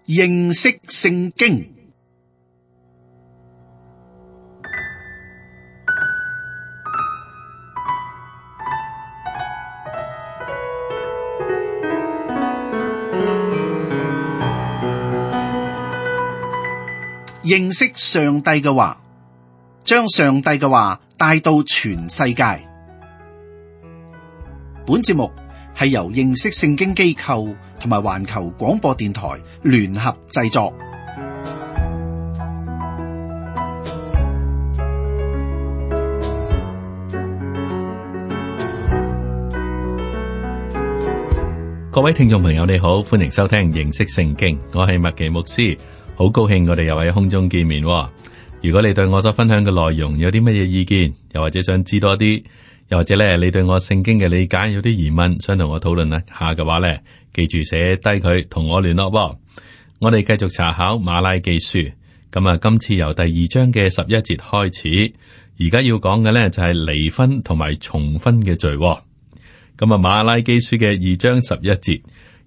認識聖經。認識上帝嘅話，將上帝嘅話帶到全世界。本節目係由認識聖經機構同埋環球廣播電台聯合製作。各位聽眾朋友，你好，歡迎收聽認識聖經，我係麥奇牧師，好高興我哋又喺空中見面。如果你對我所分享嘅內容有啲乜嘢意見，又或者想知多啲，又或者咧你對我聖經嘅理解有啲疑問，想同我討論一下嘅話咧，記住寫低佢同我聯絡。我哋繼續查考馬拉基書，咁今次由第2章嘅11節開始，而家要講嘅咧就係離婚同埋重婚嘅罪。馬拉基書嘅2章11節，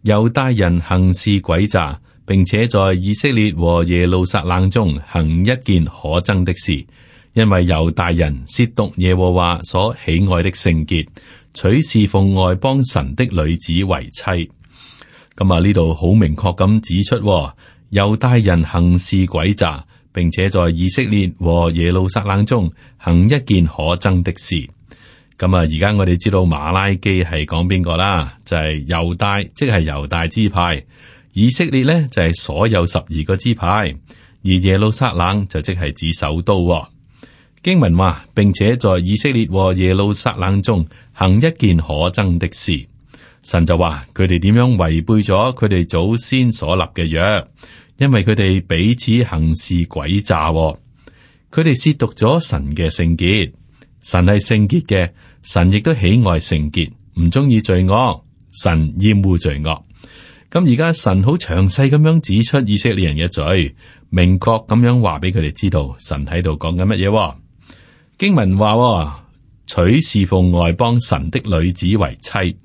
猶大人行事詭詐，並且在以色列和耶路撒冷中行一件可憎的事，因為猶大人褻瀆耶和華所喜愛的聖潔，娶侍奉外邦神的女子為妻。呢度好明確咁指出，猶大人行事詭詐，並且在以色列和耶路撒冷中行一件可憎的事。而家我哋知道馬拉基係講邊個啦？就係猶大，即係猶大支派；以色列呢，就係所有12個支派，而耶路撒冷就即係指首都。經文話，並且在以色列和耶路撒冷中行一件可憎的事。神就話佢哋點樣違背咗佢哋祖先所立嘅約，因為佢哋彼此行事詭詐，佢哋褻瀆咗神嘅聖潔。神係聖潔嘅，神亦都喜愛聖潔，唔中意罪惡，神厭惡罪惡。而家神好詳細咁樣指出以色列人嘅罪，明確咁樣話俾佢哋知道神喺度講緊乜嘢。經文話娶侍奉外邦神的女子為妻。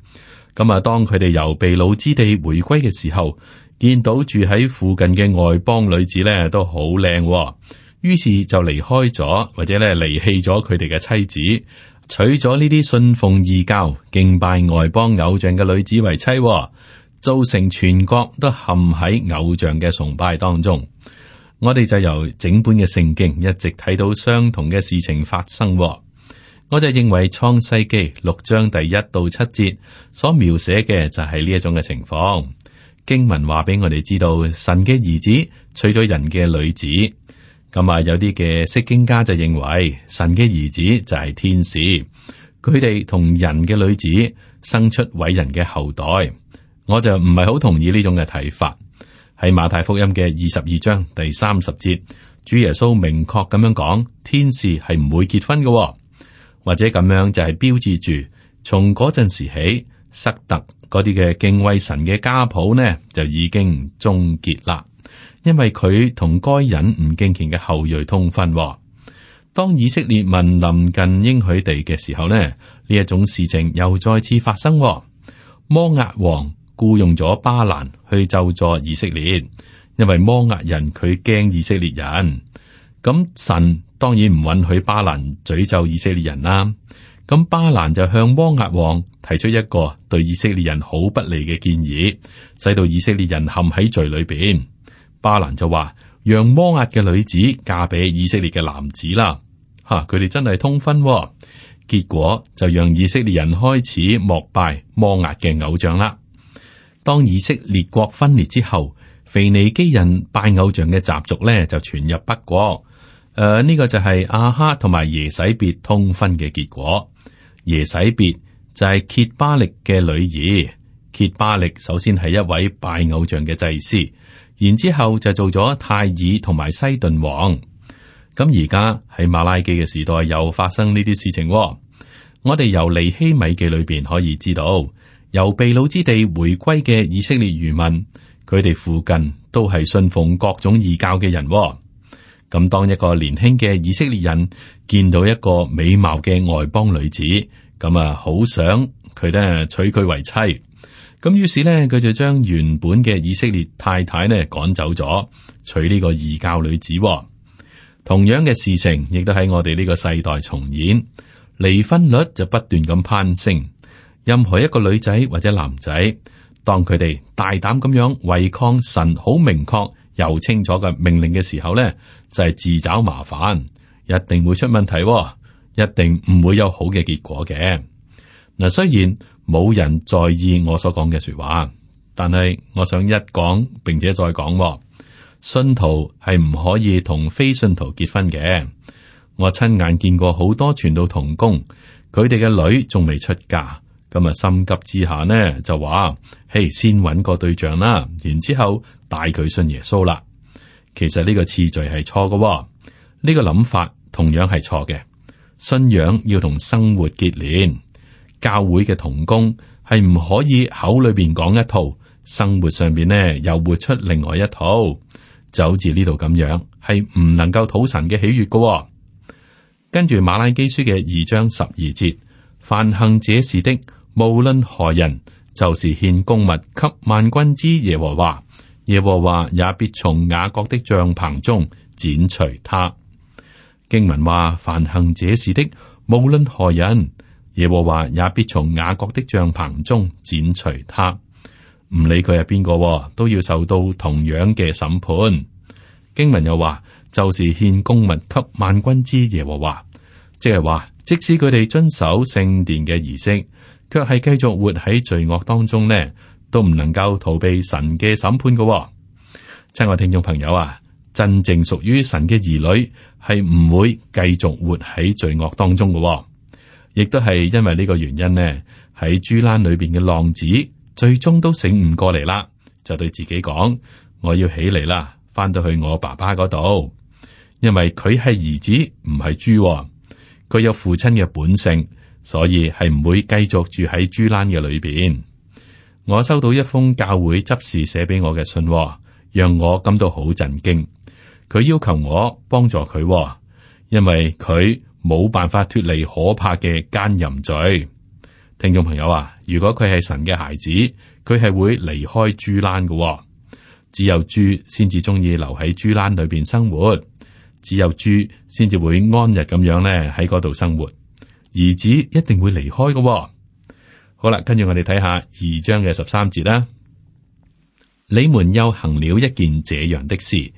當佢哋由被擄之地回歸嘅時候，見到住喺附近嘅外邦女子咧都好靚，於是就離開咗或者咧離棄咗佢哋嘅妻子，娶咗呢啲信奉異教、敬拜外邦偶像嘅女子為妻，造成全國都陷喺偶像嘅崇拜當中。我哋就由整本嘅聖經一直睇到相同嘅事情發生。我就認為創世記6章第1到7節所描寫嘅就係呢一種嘅情況。經文話俾我哋知道，神嘅兒子娶咗人嘅女子。有啲嘅釋經家就認為神嘅兒子就係天使，佢哋同人嘅女子生出偉人嘅後代。我就唔係好同意呢種嘅睇法。喺馬太福音嘅22章第30節，主耶穌明確咁樣講，天使係唔會結婚嘅，或者咁樣就係標誌住從嗰陣時起，塞特嗰啲嘅敬畏神嘅家譜呢就已經終結啦。因為佢同該隱唔敬虔嘅後裔通婚。當以色列民臨近應許地嘅時候呢，呢一種事情又再次發生。摩押王僱用咗巴蘭去咒詛以色列，因為摩押人佢驚以色列人。咁神當然唔允許巴蘭詛咒以色列人啦。咁巴蘭就向摩押王提出一個對以色列人好不利嘅建議，使到以色列人陷喺罪裏邊。巴蘭就話，讓摩押嘅女子嫁俾以色列嘅男子啦。佢哋真係通婚，結果就讓以色列人開始膜拜摩押嘅偶像啦。當以色列國分裂之後，腓尼基人拜偶像嘅習俗咧就傳入北國。呢個就係亞哈同埋耶洗別通婚嘅結果。耶洗別就係歇巴力嘅女兒。歇巴力首先係一位拜偶像嘅祭司。然之後就做咗泰爾同埋西頓王。而家喺馬拉基嘅時代又發生呢啲事情。我哋由尼希米記裏邊可以知道，由被擄之地回歸嘅以色列餘民，佢哋附近都係信奉各種異教嘅人。當一個年輕嘅以色列人見到一個美貌嘅外邦女子，好想佢咧娶佢為妻。咁於是呢，佢就將原本嘅以色列太太呢趕走咗，娶呢個異教女子。同樣嘅事情亦都喺我哋呢個世代重演，離婚率就不斷咁攀升。任何一個女仔或者男仔，當佢哋大膽咁樣違抗神好明確又清楚嘅命令嘅時候呢，就係自找麻煩，一定會出問題，一定唔會有好嘅結果嘅。嗱，雖然冇人在意我所講嘅說話，但係我想一講並且再講，信徒係唔可以同非信徒結婚嘅。我親眼見過好多傳道同工，佢哋嘅女仲未出嫁，咁啊心急之下呢就話：嘿，先搵個對象啦，然之後帶佢信耶穌啦。其實呢個次序係錯嘅，呢個諗法同樣係錯嘅。信仰要同生活結連，教會嘅同工係唔可以口裏邊講一套，生活上邊呢又活出另外一套，就好似呢度咁樣，係唔能夠討神嘅喜悅嘅。跟住馬拉基書嘅2章12節，凡行這事的，無論何人，就是獻供物給萬軍之耶和華，耶和華也必從雅各的帳棚中剪除他。經文話：凡行這事的，無論何人，耶和華也必從雅各的帳棚中剪除他。唔理佢係邊個，都要受到同樣嘅審判。經文又話，就是獻供物給萬軍之耶和華，即係話，即使佢哋遵守聖殿嘅儀式，卻係繼續活喺罪惡當中呢，都唔能夠逃避神嘅審判嘅。親愛聽眾朋友啊，真正屬於神嘅兒女係唔會繼續活喺罪惡當中嘅，亦都係因為呢個原因呢，喺豬欄裏邊嘅浪子最終都醒悟過嚟啦，就對自己講：我要起嚟啦，翻到去我爸爸嗰度，因為佢係兒子唔係豬，佢有父親嘅本性，所以係唔會繼續住喺豬欄嘅裏邊。我收到一封教會執事寫俾我嘅信，讓我感到好震驚。佢要求我幫助佢，因為佢冇辦法脫離可怕嘅奸淫罪。聽眾朋友啊，如果佢係神嘅孩子，佢係會離開豬欄嘅。只有豬先至中意留喺豬欄裏邊生活，只有豬先至會安逸咁樣咧喺嗰度生活。兒子一定會離開嘅。好啦，跟住我哋睇下2章嘅13節啦。你們又行了一件這樣的事，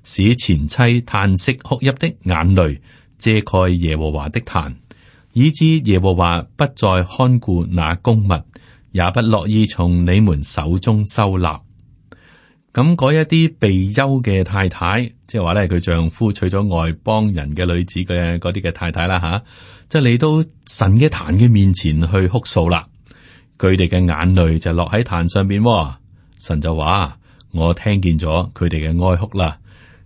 使前妻嘆息哭泣的眼淚遮蓋耶和華的壇，以致耶和華不再看顧那供物，也不樂意從你們手中收納。咁嗰一啲被休嘅太太，即係話咧，佢丈夫娶咗外邦人嘅女子嘅嗰啲嘅太太啦，吓，即係嚟到神嘅壇嘅面前去哭訴啦。佢哋嘅眼淚就落喺壇上邊，神就話：我聽見咗佢哋嘅哀哭啦。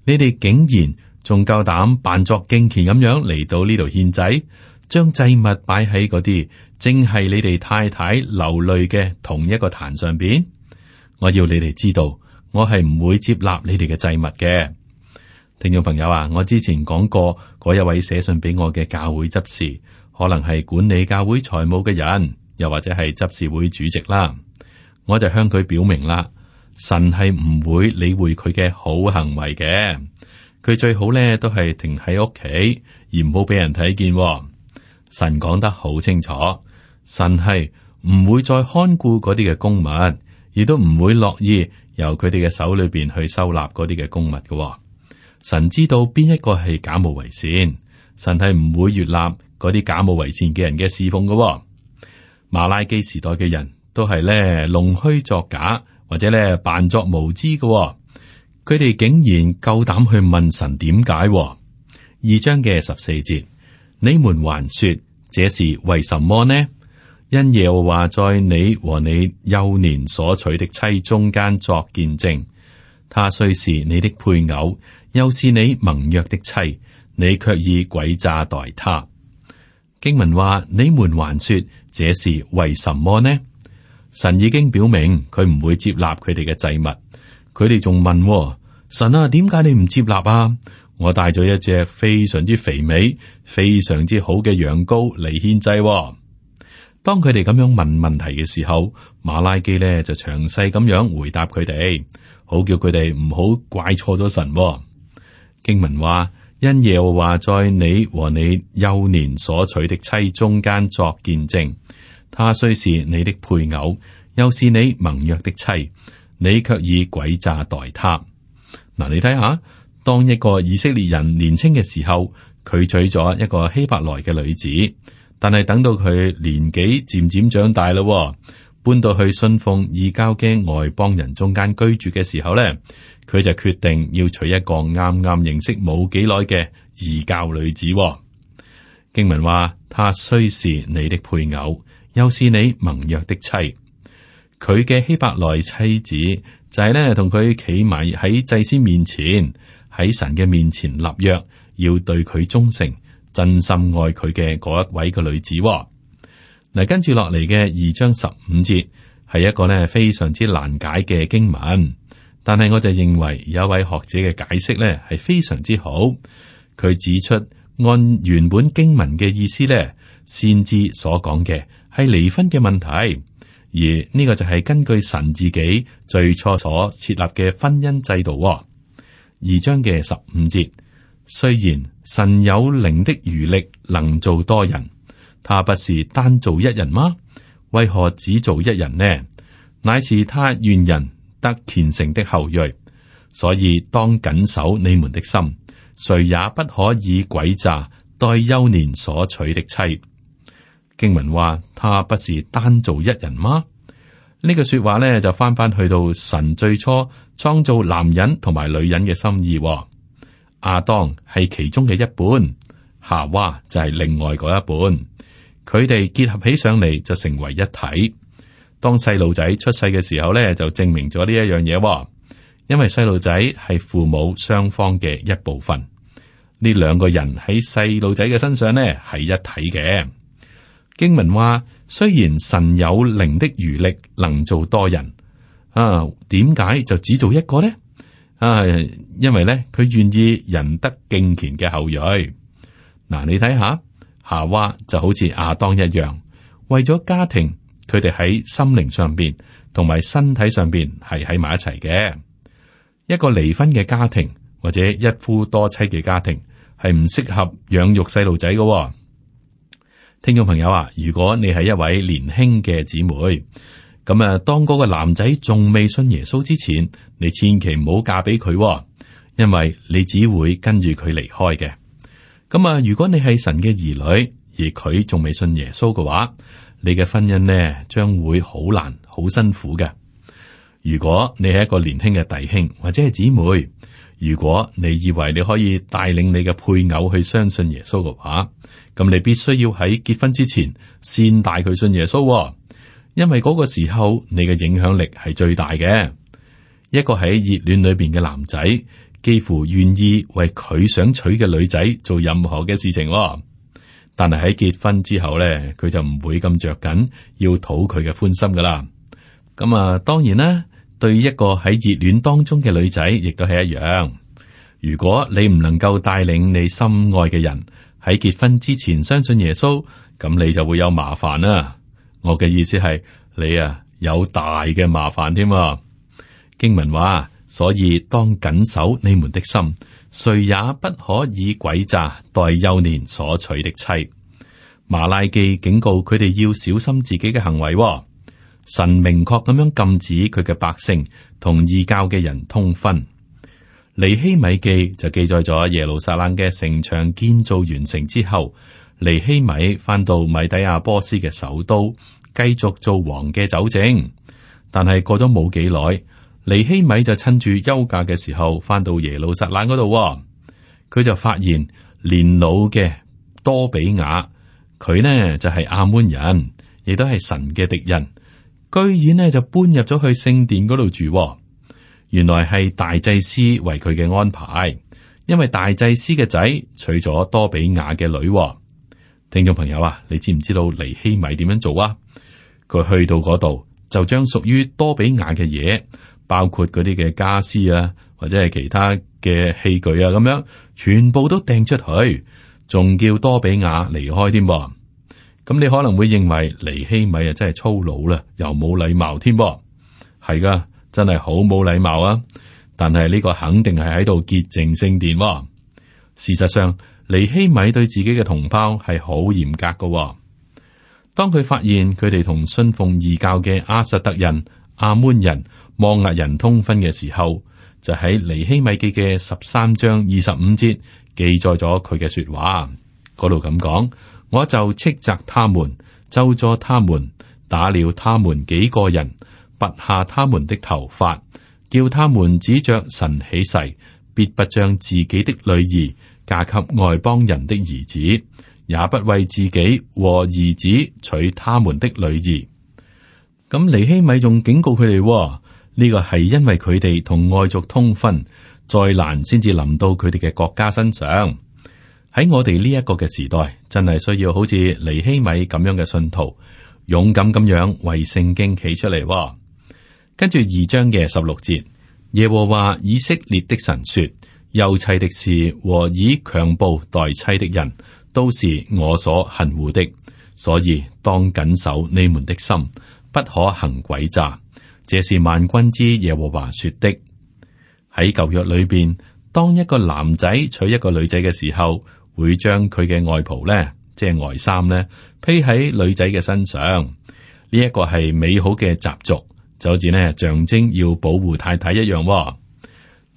你哋竟然仲夠膽扮作敬虔咁樣嚟到呢度獻祭，將祭物擺喺嗰啲正係你哋太太流淚嘅同一個壇上邊。我要你哋知道，我係唔會接納你哋嘅祭物嘅。聽眾朋友啊，我之前講過嗰一位寫信俾我嘅教會執事，可能係管理教會財務嘅人，又或者係執事會主席啦。我就向佢表明啦，神係唔會理會佢嘅好行為嘅。佢最好咧都係停喺屋企，而唔好俾人睇見。神講得好清楚，神係唔會再看顧嗰啲嘅供物，亦都唔會樂意由佢哋嘅手裏邊去收納嗰啲嘅供物嘅。神知道邊一個係假冒為善，神係唔會悅納嗰啲假冒為善嘅人嘅侍奉嘅。馬拉基時代嘅人都係咧弄虛作假，或者咧扮作無知嘅。佢哋竟然夠膽去問神點解？2章嘅14節，你們還說這是為什麼呢？因耶和華在你和你幼年所娶的妻中間作見證，他雖是你的配偶，又是你盟約的妻，你卻以詭詐待他。經文話：你們還說這是為什麼呢？神已經表明佢唔會接納佢哋嘅祭物。佢哋仲問：神啊，點解你唔接納啊？我帶咗一隻非常之肥美、非常之好嘅羊羔嚟獻祭。當佢哋咁樣問問題嘅時候，馬拉基呢就詳細咁樣回答佢哋，好叫佢哋唔好怪錯咗神。經文話：因耶和華在你和你幼年所娶的妻中間作見證，他雖是你的配偶，又是你盟約的妻，你卻以詭詐待他。嗱，你睇下，當一個以色列人年輕嘅時候，佢娶咗一個希伯來嘅女子，但係等到佢年紀漸漸長大咯，搬到去信奉異教嘅外邦人中間居住嘅時候咧，佢就決定要娶一個啱啱認識冇幾耐嘅異教女子。經文話：她雖是你的配偶，又是你盟約的妻。佢嘅希伯來妻子就係咧同佢企埋喺祭司面前，喺神嘅面前立約，要對佢忠誠，真心愛佢嘅嗰一位嘅女子。嗱，跟住落嚟嘅2章15節係一個咧非常之難解嘅經文，但係我就認為有一位學者嘅解釋咧係非常之好。佢指出按原本經文嘅意思咧，先知所講嘅係離婚嘅問題。而呢個就係根據神自己最初所設立嘅婚姻制度。2章嘅15節，雖然神有靈的餘力，能做多人，他不是單做一人嗎？為何只做一人呢？乃是他願人得虔誠的後裔，所以當謹守你們的心，誰也不可以詭詐待幼年所娶的妻。經文話：他不是單做一人嗎？呢個說話呢，就翻去到神最初創造男人同埋女人嘅心意。亞當係其中嘅一半，夏娃就係另外嗰一半，佢哋結合起上嚟就成為一體。當細路仔出世嘅時候呢，就證明咗呢一樣嘢，因為細路仔係父母雙方嘅一部分。呢兩個人喺細路仔嘅身上呢，係一體嘅。經文話：雖然神有靈的餘力，能做多人，點解就只做一個呢？因為咧，佢願意人得敬虔嘅後裔。嗱，你睇下，夏娃就好似亞當一樣，為咗家庭，佢哋喺心靈上邊同埋身體上邊係喺埋一齊嘅。一個離婚嘅家庭或者一夫多妻嘅家庭係唔適合養育細路仔嘅。聽眾朋友啊，如果你係一位年輕嘅姊妹，咁當嗰個男仔仲未信耶穌之前，你千祈唔好嫁俾佢，因為你只會跟住佢離開嘅。咁如果你係神嘅兒女，而佢仲未信耶穌嘅話，你嘅婚姻呢將會好難、好辛苦嘅。如果你係一個年輕嘅弟兄或者係姊妹，如果你以為你可以帶領你嘅配偶去相信耶穌嘅話，咁你必須要喺結婚之前先帶佢信耶穌，因為嗰個時候你嘅影響力係最大嘅。一個喺熱戀裏邊嘅男仔，幾乎願意為佢想娶嘅女仔做任何嘅事情，但係喺結婚之後咧，佢就唔會咁着緊要討佢嘅歡心噶啦。咁當然啦，對一個喺熱戀當中嘅女仔，亦都係一樣。如果你唔能夠帶領你心愛嘅人喺結婚之前相信耶穌，咁你就會有麻煩啦。我嘅意思係你有大嘅麻煩添。經文話，所以當謹守你們的心，誰也不可以詭詐待幼年所娶的妻。馬拉基警告佢哋要小心自己嘅行為。神明確咁樣禁止佢嘅百姓同異教嘅人通婚。尼希米記就記載咗耶路撒冷嘅城牆建造完成之後，尼希米翻到米底亞波斯嘅首都，繼續做王嘅酒政。但係過咗冇幾耐，尼希米就趁住休假嘅時候翻到耶路撒冷嗰度，佢就發現年老嘅多比亞，佢呢就係亞捫人，亦都係神嘅敵人，居然呢就搬入咗去聖殿嗰度住。原來係大祭司為佢嘅安排，因為大祭司嘅仔娶咗多比亞嘅女。聽眾朋友啊，你知唔知道尼希米點樣做啊？佢去到嗰度就將屬於多比亞嘅嘢，包括嗰啲嘅家私啊，或者係其他嘅器具啊，咁樣全部都掟出去，仲叫多比亞離開添。咁你可能會認為尼希米啊真係粗魯啦，又冇禮貌添噃。係噶，真係好冇禮貌啊！但係呢個肯定係喺度潔淨聖殿喎。事實上，尼希米對自己嘅同胞係好嚴格㗎喎。當佢發現佢哋同信奉異教嘅亞實突人、亞捫人、摩押人通婚嘅時候，就喺尼希米記嘅13章25節記載咗佢嘅說話。嗰度咁講：我就斥責他們，咒詛他們，打了他們幾個人，拔下他們的頭髮，叫他們指着神起誓，必不將自己的女兒嫁給外邦人的兒子，也不為自己和兒子娶他們的女兒。咁尼希米仲警告佢哋，呢個係因為佢哋同外族通婚，災難先至臨到佢哋嘅國家身上。喺我哋呢一個嘅時代，真係需要好似尼希米咁樣嘅信徒，勇敢咁樣為聖經企出嚟。跟住2章嘅16節，耶和華以色列的神說：休妻的事和以強暴待妻的人，都是我所恨惡的，所以當謹守你們的心，不可行詭詐。這是萬軍之耶和華說的。喺舊約裏邊，當一個男仔娶一個女仔嘅時候，會將佢嘅外袍咧，即係外衫咧，披喺女仔嘅身上。呢一個係美好嘅習俗，就好似呢象徵要保護太太一樣。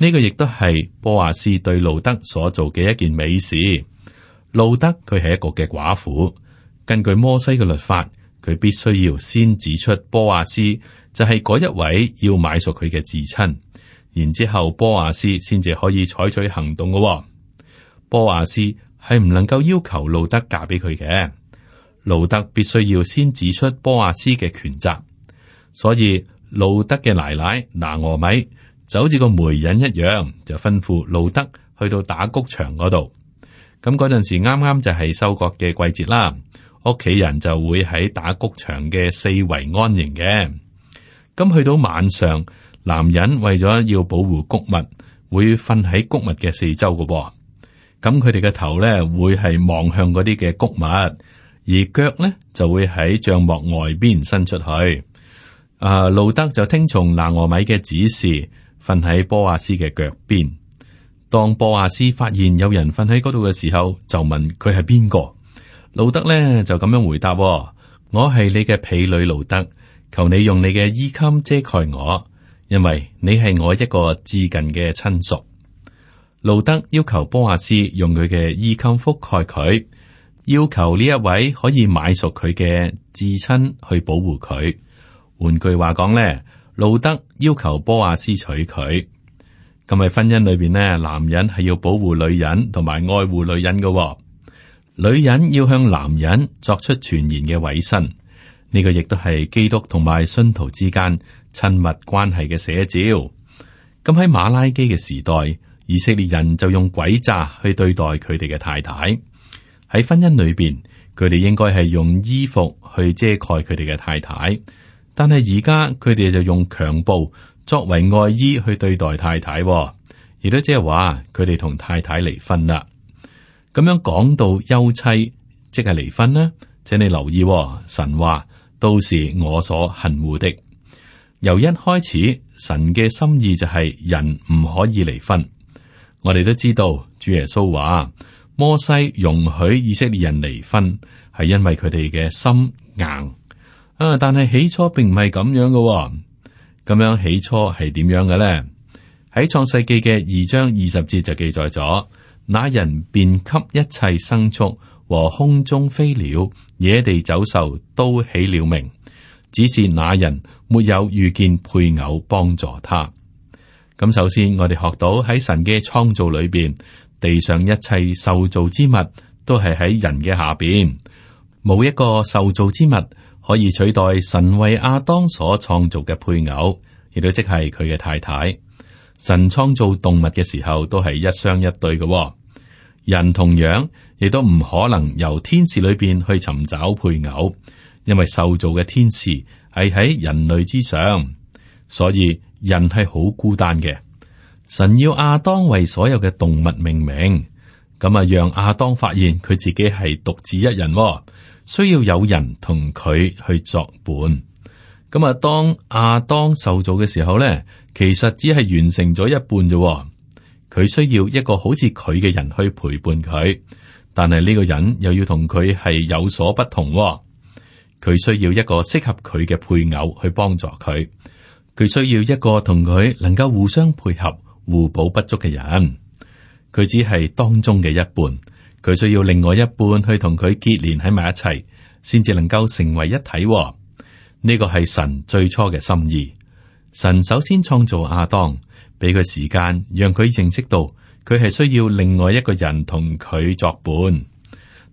呢個亦都係波阿斯對路德所做嘅一件美事。路德佢係一個嘅寡婦，根據摩西嘅律法，佢必須要先指出波阿斯就係嗰一位要買贖佢嘅至親，然之後波阿斯先至可以採取行動嘅。波阿斯係唔能夠要求路德嫁俾佢嘅，路德必須要先指出波阿斯嘅權責。所以路德嘅奶奶拿俄米就好似個媒人一樣，就吩咐路德去到打谷場嗰度。咁嗰陣時啱啱就係收割嘅季節啦，屋企人就會喺打谷場嘅四圍安營嘅。咁去到晚上，男人為咗要保護谷物，會瞓喺谷物嘅四周嘅。咁佢哋嘅頭咧會係望向嗰啲嘅谷物，而腳咧就會喺帳幕外邊伸出去。路德就聽從拿俄米嘅指示，瞓喺波阿斯嘅腳邊。當波阿斯發現有人瞓喺嗰度嘅時候，就問佢係邊個。路德咧就咁樣回答：我係你嘅婢女路德，求你用你嘅衣襟遮蓋我，因為你係我一個至近嘅親屬。路德要求波阿斯用佢嘅衣襟覆蓋佢，要求呢一位可以買贖佢嘅至親去保護佢。換句話講咧，路德要求波阿斯娶佢。咁喺婚姻裏邊呢，男人係要保護女人同埋愛護女人嘅，女人要向男人作出全然嘅委身。呢個亦都係基督同埋信徒之間親密關係嘅寫照。咁喺馬拉基嘅時代，以色列人就用詭詐去對待佢哋嘅太太。喺婚姻裏邊，佢哋應該係用衣服去遮蓋佢哋嘅太太，但係而家佢哋就用強暴作為外衣去對待太太，亦都即係話佢哋同太太離婚啦。咁樣講到休妻，即係離婚呢？請你留意，神話都是我所恨惡的。由一開始，神嘅心意就係人唔可以離婚。我哋都知道，主耶穌話摩西容許以色列人離婚，係因為佢哋嘅心硬。但係起初並唔係咁樣嘅。咁樣起初係點樣嘅咧？喺創世記嘅2章20節就記載咗，那人便給一切牲畜和空中飛鳥、野地走獸都起了名，只是那人沒有遇見配偶幫助他。咁首先，我哋學到喺神嘅創造裏邊，地上一切受造之物都係喺人嘅下邊，冇一個受造之物可以取代神為亞當所創造嘅配偶，亦都即係佢嘅太太。神創造動物嘅時候都係一雙一對嘅，人同樣亦都唔可能由天使裏邊去尋找配偶，因為受造嘅天使係喺人類之上，所以人係好孤單嘅。神要亞當為所有嘅動物命名，咁啊讓亞當發現佢自己係獨自一人，需要有人同佢去作伴。咁啊，當亞當受造嘅時候咧，其實只係完成咗一半啫。佢需要一個好似佢嘅人去陪伴佢，但係呢個人又要同佢係有所不同。佢需要一個適合佢嘅配偶去幫助佢，佢需要一個同佢能夠互相配合、互補不足嘅人。佢只係當中嘅一半，佢需要另外一半去同佢結連喺埋一齊，先至能夠成為一體。呢個係神最初嘅心意。神首先創造亞當，俾佢時間，讓佢認識到佢係需要另外一個人同佢作伴。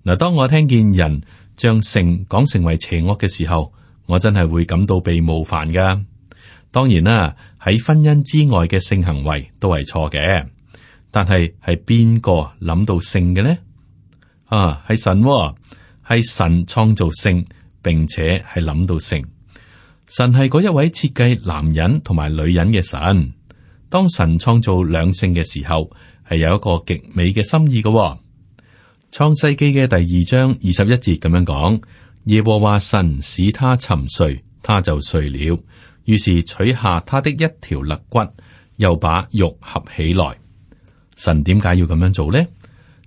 嗱，當我聽見人將性講成為邪惡嘅時候，我真係會感到被冒犯噶。當然啦，喺婚姻之外嘅性行為都係錯嘅，但係邊個諗到性嘅呢？係神，係神創造性，並且係諗到性。神係嗰一位設計男人同埋女人嘅神。當神創造兩性嘅時候，係有一個極美嘅心意嘅。創世記嘅第2章21節咁樣講：耶和華神使他沉睡，他就睡了。於是取下他的一條肋骨，又把肉合起來。神點解要咁樣做呢？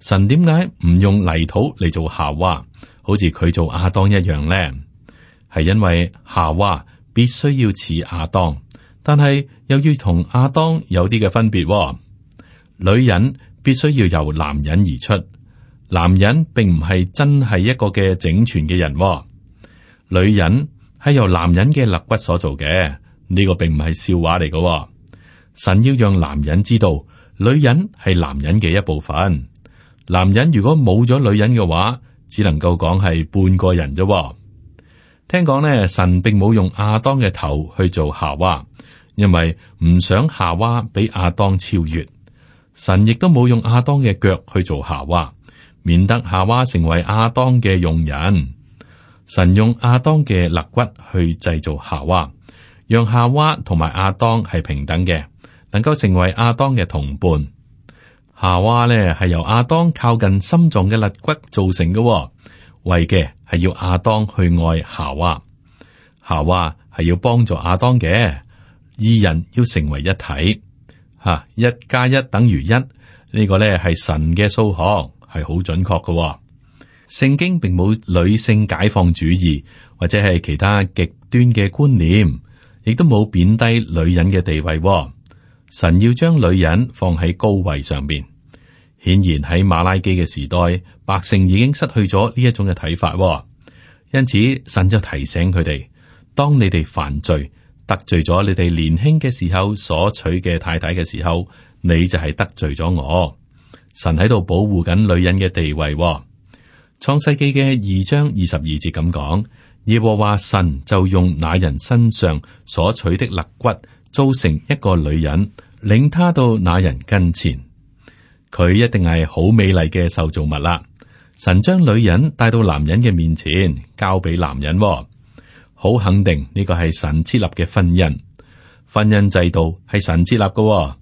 神點解唔用泥土嚟做夏娃，好似佢做亞當一樣呢？係因為夏娃必須要似亞當，但係又要同亞當有啲嘅分別。女人必須要由男人而出，男人並唔係真係一個嘅整全嘅人。女人係由男人嘅肋骨所做嘅，呢個並唔係笑話嚟嘅。神要讓男人知道，女人係男人嘅一部分。男人如果冇咗女人嘅話，只能夠講係半個人啫。聽講呢，神並冇用亞當嘅頭去做夏娃，因為唔想夏娃比亞當超越。神亦都冇用亞當嘅腳去做夏娃，免得夏娃成為亞當嘅用人。神用亞當嘅肋骨去製造夏娃，讓夏娃同埋亞當係平等嘅，能夠成為亞當嘅同伴。夏娃呢係由亞當靠近心臟嘅肋骨造成嘅，為嘅係要亞當去愛夏娃。夏娃係要幫助亞當嘅，二人要成為一體。1+1等於1，呢個呢係神嘅數學，係好準確嘅。聖經並冇女性解放主義或者係其他極端嘅觀念，亦都冇貶低女人嘅地位。神要將女人放喺高位上邊。顯然喺馬拉基嘅時代，百姓已經失去咗呢一種嘅睇法。因此神就提醒佢哋：當你哋犯罪得罪咗你哋年輕嘅時候所娶嘅太太嘅時候，你就係得罪咗我。神喺度保護緊女人嘅地位。創世記嘅2章22節咁講：耶和華神就用那人身上所取的肋骨造成一個女人，領他到那人跟前。佢一定係好美麗嘅受造物啦。神將女人帶到男人嘅面前，交俾男人。好肯定呢個係神設立嘅婚姻。婚姻制度係神設立嘅。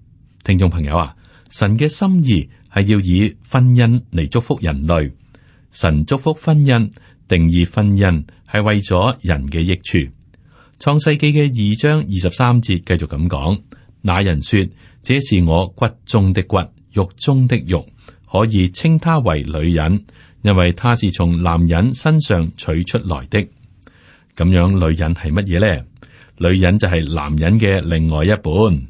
聽眾朋友啊，神嘅心意係要以婚姻嚟祝福人類。神祝福婚姻，定義婚姻係為咗人嘅益處。創世記嘅2章23節繼續咁講：那人說，這是我骨中的骨，肉中的肉，可以稱她為女人，因為她是從男人身上取出來的。咁樣女人係乜嘢呢？女人就係男人嘅另外一半。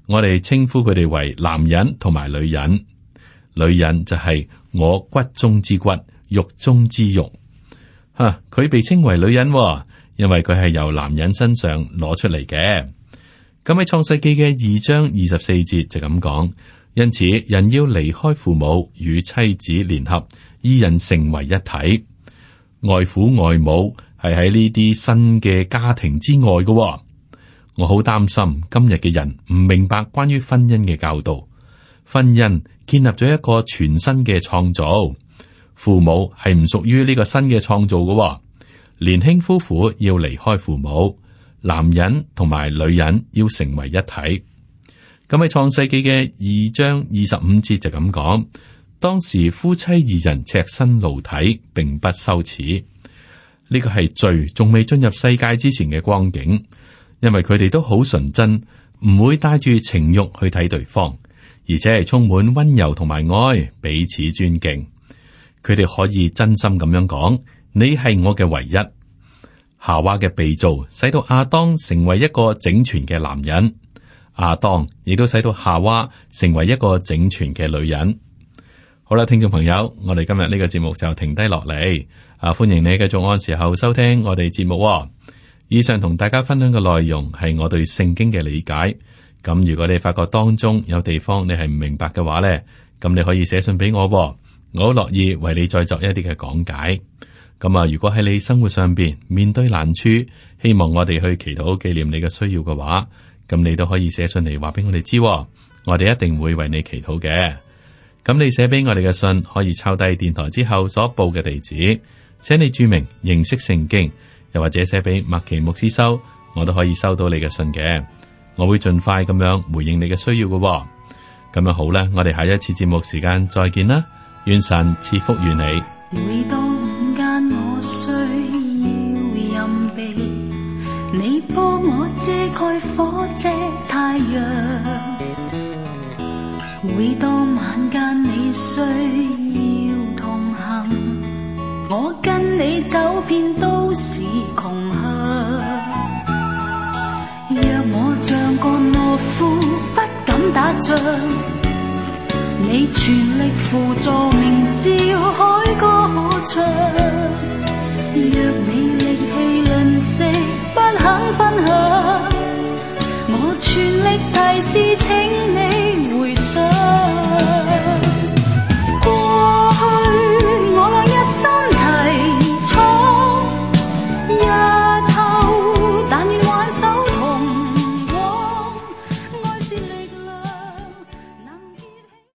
我哋稱呼佢哋為男人同埋女人。女人就係我骨中之骨，肉中之肉。佢被稱為女人，因為佢係由男人身上攞出嚟嘅。咁喺創世記嘅2章24節就咁講：因此人要離開父母，與妻子聯合，二人成為一體。外父外母係喺呢啲新嘅家庭之外嘅。我好擔心今日嘅人唔明白關於婚姻嘅教導。婚姻建立咗一個全新嘅創造，父母係唔屬於呢個新嘅創造嘅。年輕夫婦要離開父母，男人同埋女人要成為一體。咁喺創世記嘅2章25節就咁講：當時夫妻二人赤身露體，並不羞恥。呢個係罪仲未進入世界之前嘅光景，因為佢哋都好純真，唔會帶住情慾去睇對方，而且係充滿溫柔同埋愛，彼此尊敬。佢哋可以真心咁樣講：你係我嘅唯一。夏娃嘅被造，使到亞當成為一個整全嘅男人，亞當亦都使到夏娃成為一個整全嘅女人。好啦，聽眾朋友，我哋今日呢個節目就停低落嚟。歡迎你繼續按時候收聽我哋節目。以上同大家分享嘅內容係我對聖經嘅理解。咁如果你發覺當中有地方你係唔明白嘅話呢，咁你可以寫信俾我，我好樂意為你再作一啲嘅講解。咁如果喺你生活上邊面對難處，希望我哋去祈禱紀念你嘅需要嘅話，咁你都可以寫信嚟話俾我哋知，我哋一定會為你祈禱嘅。咁你寫俾我哋嘅信可以抄低電台之後所報嘅地址，寫你注明認識聖經，又或者寫俾麥奇牧師收，我都可以收到你嘅信嘅。我會盡快咁樣回應你嘅需要嘅。咁樣好啦，我哋下一次節目時間再見啦，願神賜福於你。每當午間我需要蔭庇，你幫我遮蓋火遮太陽。每當晚間你需要同行，我跟你走遍都市窮鄉。若我像個懦夫不敢打仗，你全力輔助明照海歌可唱。若你力氣吝嗇不肯分享，我全力提示請你回想。